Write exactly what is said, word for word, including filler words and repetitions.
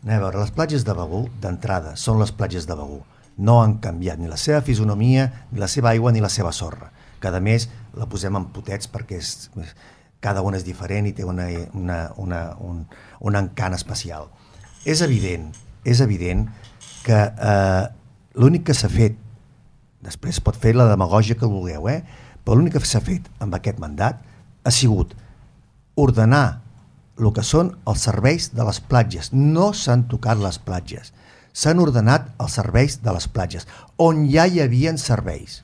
A veure, les platges de Begur, d'entrada, són les platges de Begur. No han canviat ni la seva fisonomia, ni la seva aigua, ni la seva sorra. Cada mes la posem en potets perquè és, cada una és diferent i té una, una, una, un, un encant especial. És evident, és evident que eh, l'únic que s'ha fet, després pot fer la demagògia que vulgueu, eh? Però l'únic que s'ha fet amb aquest mandat ha sigut ordenar el que són els serveis de les platges. No s'han tocat les platges, s'han ordenat els serveis de les platges, on ja hi havia serveis.